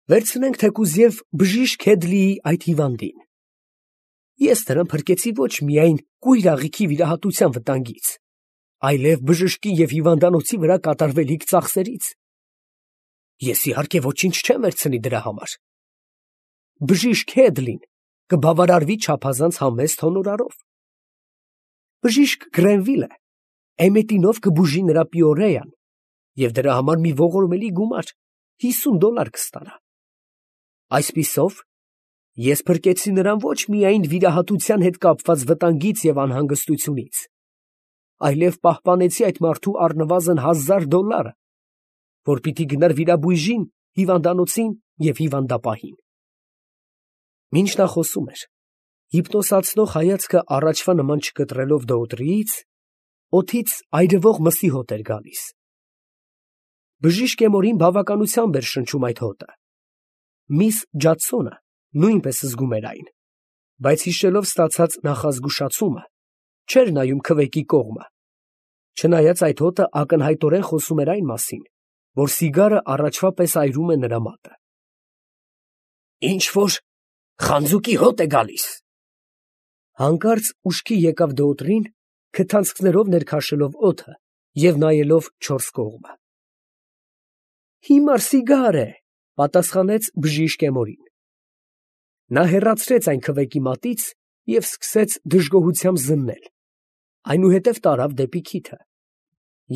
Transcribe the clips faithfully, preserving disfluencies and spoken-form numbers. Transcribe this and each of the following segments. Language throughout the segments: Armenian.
Վերցնենք թեկուզ և բժիշկ Հեդլիի այդ հիվանդին. ես նրան փրկեցի ոչ միայն կույր աղիքի վիրահատության վտանգից, այլև բժշկի և հիվանդանոցի վրա կատարվելիք ծախսերից. ես իհարկե ոչինչ չեմ վերցնի դրա համար. բժիշկ Հեդլին կբավարարվի չափազանց համեստ հոնորարով. բժիշկ Գրենվիլը էմետինով կբուժի նրա պիորեան և դրա համար մի ողորմելի գումար, հիսուն դոլար կստանա. այսպիսով, ես փրկեցի նրան ոչ միայն վիրահատության հետ կապված վտանգից և անհանգստությունից, այլև պահպանեցի այդ մարդու առնվազն հազար դոլարը, որ պիտի գնար վիրաբույժին, հիվանդանոցին և հիվանդապահին։ Մինչ նա խոսում էր, հիպնոսացնող հայացքը առաջվա նման չկտրելով դոուտրիից, օդից այրվող մսի հոտ էր գալիս։ Բժիշկ Էմորին բավականությամբ էր շնչում այդ հոտը։ Միս Ջադսոնը նույնպես զգում էր այն, բայց հիշելով ստացած նախազգուշացումը, չէր նայում քվեկի կողմը, չնայած այդ հոտը ակնհայտորեն խոսում էր այն մասին, որ սիգարը առաջվա պես այրում է նրա մատը։ Ինչ֊որ խանձուկի հոտ է գալիս։ Հանկարծ ուշքի եկավ դոուտրին, քթանցքներով ներքաշելով օդը և նայելով չորս կողմը։ Հիմար սիգար է, պատասխանեց բժիշկ Էմորին։ Նա հեռացրեց այն քվեկի մատից և սկսեց դժգոհությամբ զննել, այնուհետև տարավ դեպի քիթը,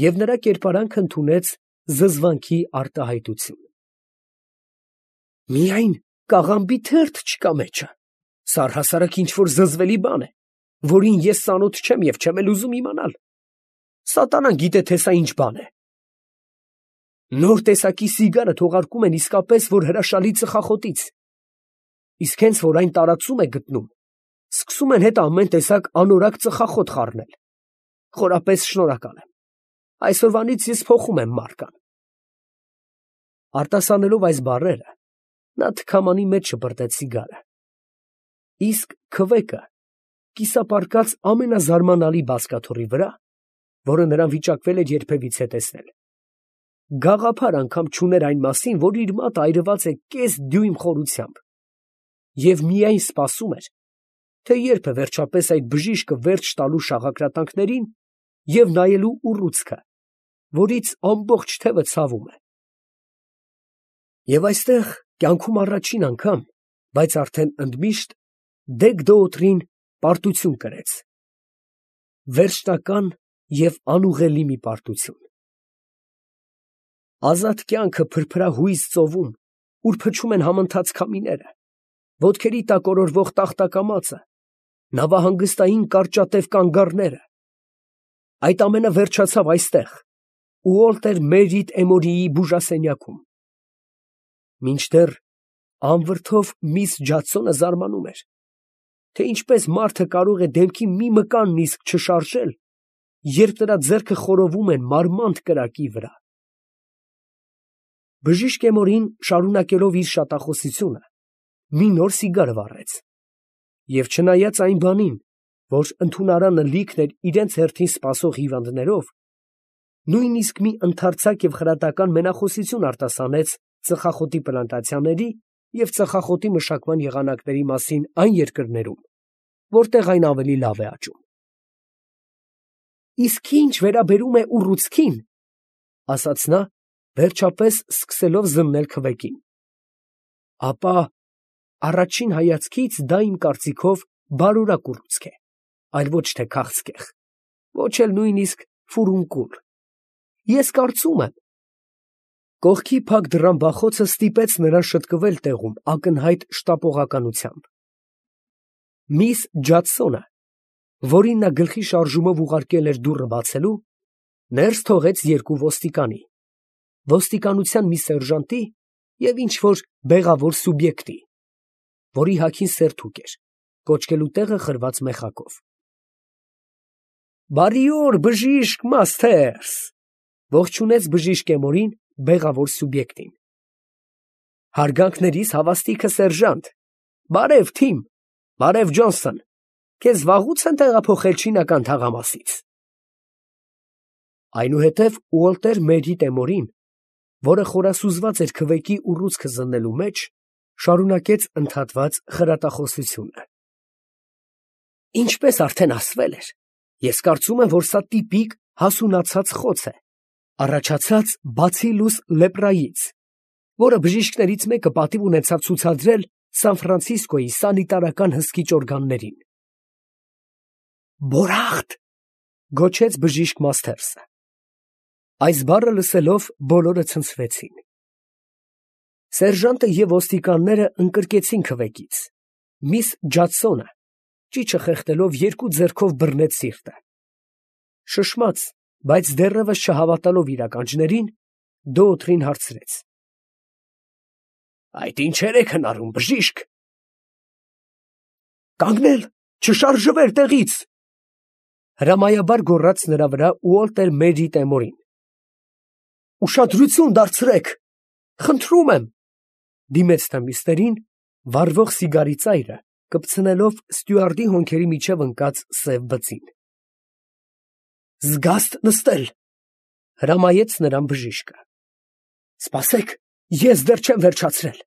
և նրա կերպարանքը ընդունեց զզվանքի արտահայտություն։ Միայն կաղամբի թերթ չկա մեջը, սա առհասարակ ինչ֊որ զզվելի բան է, որին ես ծանոթ չեմ և չեմ էլ ուզում իմանալ։ Սատանան գիտե, թե սա ինչ բան է։ Նոր տեսակի սիգարը թողարկում են իսկապես, որ հրաշալի ծխախոտից, իսկ հենց որ այն տարածում է գտնում, սկսում են հետ ամեն տեսակ անորակ ծխախոտ խառնել։ Խորապես շնորհակալ եմ։ Այսօրվանից ես փոխում եմ մարկան։ Արտասանելով այս բառերը, նա թքամանի մեջ շպրտեց սիգարը։ Իսկ քվեկը կիսապարկած ամենազարմանալի բազկաթոռի վրա, որը նրան վիճակվել էր երբևիցե տեսնել, գաղափար անգամ չուներ այն մասին, որ իր մատը այրված է կես դյույմ խորությամբ, և միայն սպասում էր, թե երբ է վերջապես այդ բժիշկը վերջ տալու շաղակրատանքներին և նայելու ուռուցքը, որից ամբողջ թևը ցավում է։ Եվ այստեղ կյանքում առաջին անգամ, բայց արդեն ընդմիշտ, դեգ-դոուտրին պարտություն կրեց, վերջնական և անուղղելի մի պարտություն։ Ազատ կյանքը փրփրահույզ ծովում, ուր փչում են համընթաց քամիները, ոտքերի տակ օրորվող տախտակամածը, նավահանգստային կարճատև կանգառները, այդ ամենը վերջացավ այստեղ, Ուոլտեր Մերիտ Էմորիի բուժասենյակում։ Մինչդեռ անվրդով միս Ջադսոնը զարմանում էր, թե ինչպես մարդը կարող է դեմքի մի մկան նիսկ չշարժել, երբ նրա ձեռքը խորովում են մարմանդ կրակի վրա։ Բժիշկ Էմորին, շարունակելով իր շատախոսությունը, մի նոր սիգար վառեց, և չնայած այն բանին, որ ընդունարանը լիքն էր իրենց հերթին սպասող հիվանդներով, նույնիսկ մի ընդարձակ և խրատական մենախոսություն արտասանեց ծխախոտի պլանտացիաների և ծխախոտի մշակման եղանակների մասին այն երկրներում, որտեղ այն ավելի լավ է աճում։ Իսկ ինչ վերաբերում է ուռուցքին, ասաց նա, վերջապես սկսելով զննել քվեկին, ապա առաջին հայացքից դա իմ կարծիքով բարորակ ուռուցք է, այլ ոչ թե քաղցկեղ, ոչ էլ նույնիսկ ֆուրունկուլ։ Ես կարծում եմ… Կողքի փակ դռան բախոցը ստիպեց նրան շտկվել տեղում ակնհայտ շտապողականությամբ։ Միս Ջադսոնը, որին նա գլխի շարժումով ուղարկել էր դուռը բացելու, ներս թողեց երկու ոստիկանի, ոստիկանության մի սերժանտի և ինչ֊որ բեղավոր սուբյեկտի, որի հագին սերթուկ էր, կոճկելու տեղը խրված մեխակով։ Բարի օր, բժիշկ Մասթերս, ողջունեց բժիշկ Էմորին բեղավոր սուբյեկտին։ Հարգանքներիս հավաստիքը, սերժանտ, բարև թիմ, բարև Ջոնսոն, քեզ վաղուց են տեղափոխել չինական թաղամասից։ Այնուհետև Ուոլտեր Մերիտ Էմորին, որը խորասուզված էր քվեկի ուռուցքը զննելու մեջ, շարունակեց ընդհատված խրատախոսությունը. Ինչպես արդեն ասվել էր, ես կարծում եմ, որ սա տիպիկ հասունացած խոց է, առաջացած բացիլուս լեպրայից, որը բժիշկներից մեկը պատիվ ունեցավ ցուցադրել Սան Ֆրանցիսկոյի սանիտարական հսկիչ օրգաններին։ Բորախտ, գոչեց բժիշկ Մասթերսը։ Այս բառը լսելով բոլորը ցնցվեցին։ Սերժանտը և ոստիկանները ընկրկեցին քվեկից։ Միս Ջադսոնը ճիչը խեղդելով երկու ձեռքով բռնեց սիրտը։ Շշմած, բայց դեռևս չհավատալով իր ականջներին, Դոուտրին հարցրեց. Այդ ինչեր եք հնարում, բժիշկ։ Կանգնել, չշարժվել տեղից, հրամայաբար գոռաց նրա վրա Ուոլտեր Մերի Տեմորին։ Ուշադրություն դարձրեք, խնդրում եմ, դիմեց նա մյուսներին, վառվող սիգարի ծայրը կպցնելով ստյուարդի հոնքերի միջև ընկած սև բծին։ Զգաստ նստել, հրամայեց նրան բժիշկը։ Սպասեք, ես դեռ չեմ վերջացրել։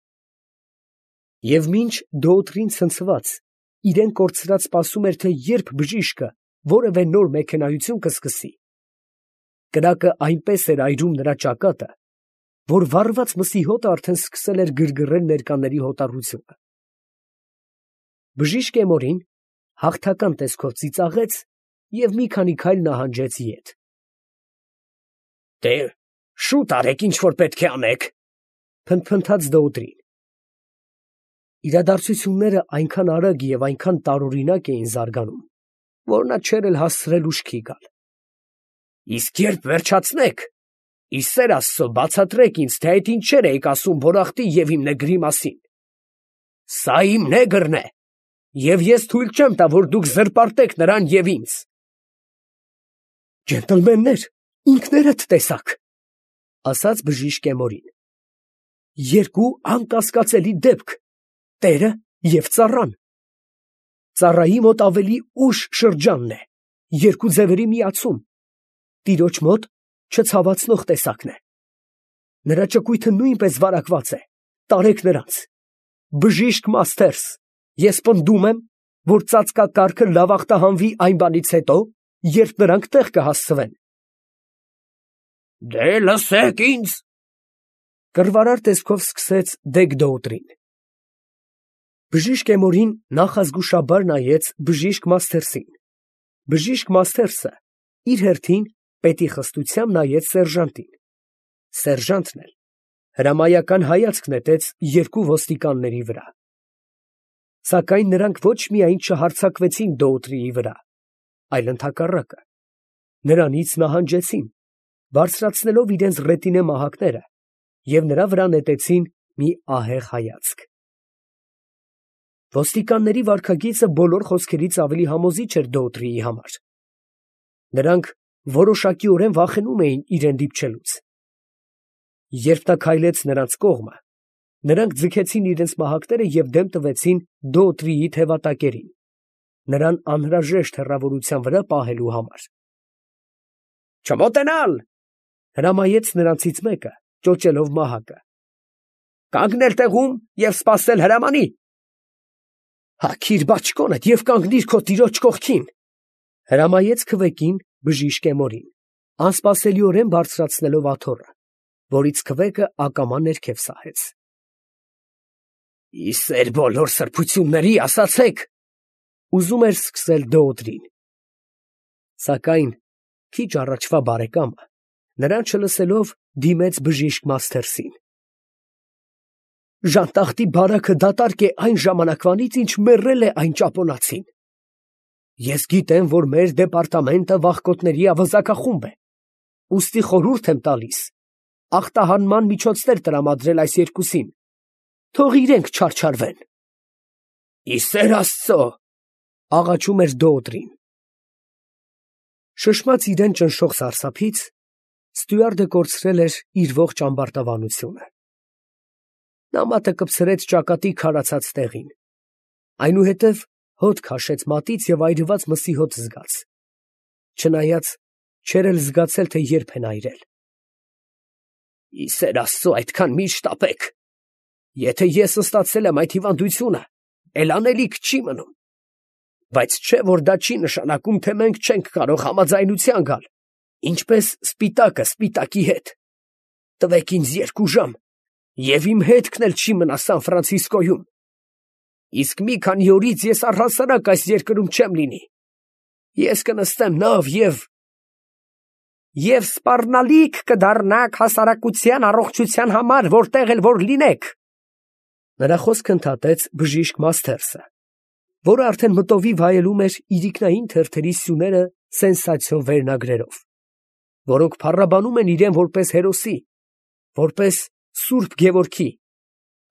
Եվ մինչ Դոուտրին ցնցված, իրեն կորցրած սպասում էր, թե երբ բժիշկը որևէ նոր մեքենայություն կսկսի, կրակը այնպես էր այրում նրա ճակատը, որ վառված մսի հոտը արդեն սկսել էր գրգռել ներկաների հոտառությունը։ Բժիշկ Էմորին հաղթական տեսքով ծիծաղեց և մի քանի քայլ նահանջեց ետ։ Դե, շուտ արեք, ինչ որ պետք է անեք, փնթփնթաց Դոուտրին։ Իրադարձությունները այնքան արագ և այնքան տարօրինակ էին զարգանում, որ նա չէր էլ հասցրել ուշքի գալ։ Իսկ երբ վերջացնեք, ի սեր Աստծո բացատրեք ինձ, թե այդ ինչեր էիք ասում Բորախտի և իմ նեգրի մասին։ Սա իմ նեգրն է, և ես թույլ չեմ տա, որ դուք զրպարտեք նրան և ինձ։ Ջենտլմեններ, ինքներդ տեսաք, ասաց բժիշկ Էմորին։ Երկու անկասկածելի դեպք, տերը և ծառան։ Ծառայի մոտ ավելի ուշ շրջանն է, երկու ձևերի միացում, տիրոջ մոտ չցավացնող տեսակն է։ Նրա ճկույթը նույնպես վարակված է, տարեք նրանց։ Բժիշկ Մասթերս, ես պնդում եմ, որ ծածկակարգը լավախտահանվի այն բանից հետո, երբ նրանք տեղ կհասցվեն։ Դե լսեք ինձ, կռվարար տեսքով սկսեց դեգ Դոուտրին։ Բժիշկ Էմորին նախազգուշաբար նայեց բժիշկ Մասթերսին։ Բժիշկ Մասթերսը իր հերթին պետի խստությամբ նայեց սերժանտին։ Սերժանտն էլ հրամայական հայացք նետեց երկու ոստիկանների վրա։ Սակայն նրանք ոչ միայն չհարձակվեցին Դոուտրիի վրա, այլ ընդհակառակը, նրանից նահանջեցին, բարձրացնելով իրենց ռետինե մահակները և նրա վրա նետեցին մի ահեղ հայացք։ Ոստիկանների վարքագիծը բոլոր խոսքերից ավելի համոզիչ էր Դոուտրիի համար։ Նրանք որոշակիորեն վախենում էին իրեն դիպչելուց։ Երբ նա քայլեց նրանց կողմը, նրանք ձգեցին իրենց մահակները և դեմ տվեցին Դոուտրիի թևատակերին, նրան անհրաժեշտ հեռավորության վրա պահելու համար։ Չմոտենալ, հրամայեց նրանցից մեկը, ճոճելով մահակը։ Կանգնել տեղում և սպասել հրամանի։ Հագիր բաճկոնդ և կանգնիր քո տիրոջ կողքին, հրամայեց քվեկին բժիշկ Էմորին, անսպասելիորեն բարձրացնելով աթոռը, որից քվեկը ակամա ներքև սահեց։ Ի սեր բոլոր սրբությունների, ասացեք, ուզում էր սկսել Դոուտրին։ Սակայն քիչ առաջվա բարեկամը, նրան չլսելով, դիմեց բժիշկ Մասթերսին։ Ժանտախտի բարաքը դատարկ է այն ժամանակվանից, ինչ մեռել է այն ճապոնացին։ Ես գիտեմ, որ մեր դեպարտամենտը վախկոտների ավազակախումբ է, ուստի խորհուրդ եմ տալիս ախտահանման միջոցներ տրամադրել այս երկուսին, թող իրենք չարչարվեն։ Ի սեր Աստծո, աղաչում էր Դոուտրին։ Շշմած իրեն ճնշող սարսափից, ստյուարդը կորցրել էր իր ողջ ամբարտավանությունը։ Նա մատը կպցրեց ճակատի քարացած տեղին, այնուհետև հոտ քաշեց մատից և այրված մսի հոտ զգաց, չնայած չէր էլ զգացել, թե երբ են այրել։ Իսեր Աստծո, այդքան մի շտապեք. եթե ես ստացել եմ այդ հիվանդությունը, էլ անելիք չի մնում. բայց չէ, որ դա չի նշանակում, թե մենք չենք կարող համաձայնության գալ, ինչպես սպիտակը սպիտակի հետ. տվեք ինձ երկու ժամ, և իմ հետքն էլ չի մնա Սան Ֆրանցիսկոյում. իսկ մի քանի օրից ես առհասարակ այս երկրում չեմ լինի. ես կնստեմ նավ և և սպառնալիք կդառնաք հասարակության առողջության համար, որտեղ էլ որ լինեք։ Նրա խոսքը ընդհատեց բժիշկ Մասթերսը, որը արդեն մտովի վայելում էր իրիկնային թերթերի սյուները սենսացիոն վերնագրերով, որոնք փառաբանում են իրեն որպես հերոսի, որպես Սուրբ Գևորգի,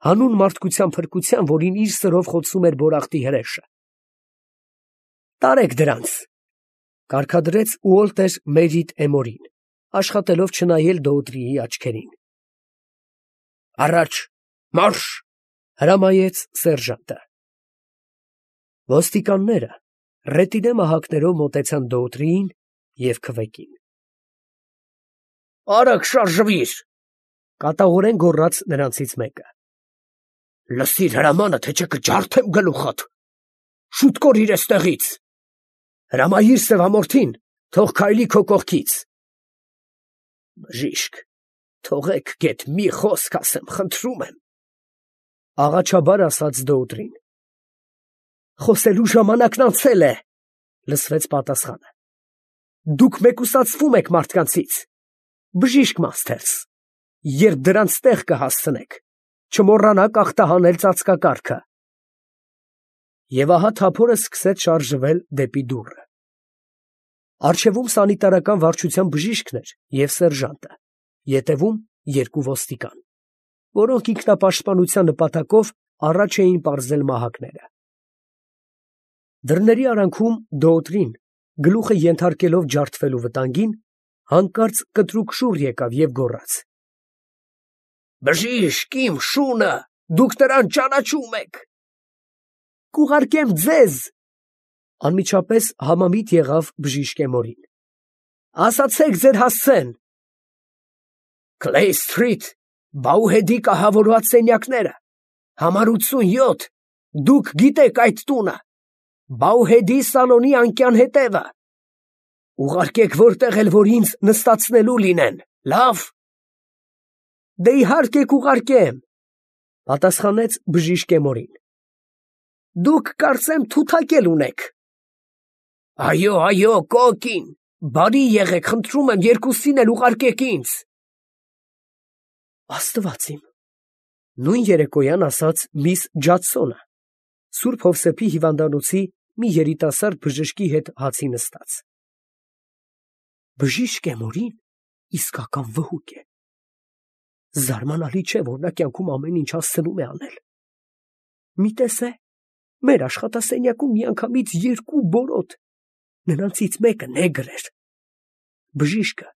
հանուն մարդկության փրկության, որին իր սրով խոցում էր Բորախտի հրեշը։ Տարեք դրանց, կարգադրեց Ուոլտեր Մերիդ Էմորին, աշխատելով չնայել Դոուտրիի աչքերին։ Առաջ, մարշ, հրամայեց սերժանտը։ Ոստիկանները ռետինե մահակներով մոտեցան Դոուտրիին և քվեկին։ Արագ շարժվիր, կատաղորեն գոռաց նրանցից մեկը։ Լսիր հրամանը, թե չէ կջարդեմ գլուխդ, շուտ կորիր էստեղից, հրամայիր սևամորթին, թող քայլի քո կողքից։ Բժիշկ, թողեք գեթ մի խոսք ասեմ, խնդրում եմ, աղաչաբար ասաց Դոուտրին։ Խոսելու ժամանակն անցել է, լսվեց պատասխանը։ Դուք մեկուսացվում եք մարդկանցից, բժիշկ Մասթերս, երբ դրանց տեղ կհասցնեք, չմոռանաք ախտահանել ծածկակարգը։ Եվ ահա թափորը սկսեց շարժվել դեպի դուռը։ Առջևում սանիտարական վարչության բժիշկն էր և սերժանտը, ետևում երկու ոստիկան, որոնք ինքնապաշտպանության նպատակով առաջ էին պարզել մահակները։ Դռների արանքում Դոուտրին, գլուխը ենթարկելով ջարդվելու վտանգին, հանկարծ կտրուկ շուռ եկավ և գոռաց. Բժիշկ, իմ շունը, դուք նրան ճանաչում եք։ Կուղարկեմ ձեզ, անմիջապես համամիտ եղավ բժիշկ Էմորին։ Ասացեք ձեր հասցեն։ Քլեյ Սթրիթ, Բաուհեդի կահավորված սենյակները, համար ութսունյոթ, դուք գիտեք այդ տունը, Բաուհեդի սալոնի անկյան հետևը։ Ուղարկեք որտեղ էլ որ ինձ նստացնելու լինեն, լավ։ Դե իհարկե կուղարկեմ, պատասխանեց բժիշկ Էմորին։ Դուք կարծեմ թութակել ունեք։ Այո, այո, կոկին, բարի եղեք, խնդրում եմ, երկուսին էլ ուղարկեք ինձ։ Աստված իմ, նույն երեկոյան ասաց միս Ջադսոնը, Սուրբ Հովսեփի հիվանդանոցի մի երիտասարդ բժշկի հետ հացի նստած։ Բժիշկ Էմորին իսկական վհուկ է։ Զարմանալի չէ, որ նա կյանքում ամեն ինչ հասցնում է անել։ Մի տեսե, մեր աշխատասենյակում միանգամից երկու բորոտ, նրանցից մեկը նեգր էր։ Բժիշկը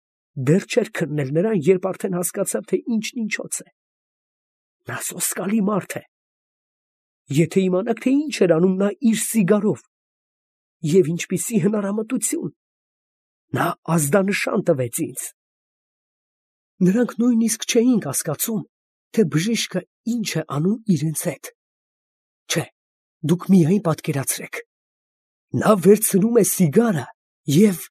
դեռ չէր քննել նրան, երբ արդեն հասկացավ, թե ինչն ինչոց է։ Նա սոսկալի մարդ է։ Եթե իմանաք, թե ինչ էր անում նա իր սիգարով, և ինչպիսի հնարամտություն, նա ազդանշան տվեց ինձ։ Նրանք նույնիսկ չէին կասկածում, թե բժիշկը ինչ է անում իրենց հետ։ Չէ, դուք միայն պատկերացրեք։ Նա վերցնում է սիգարը և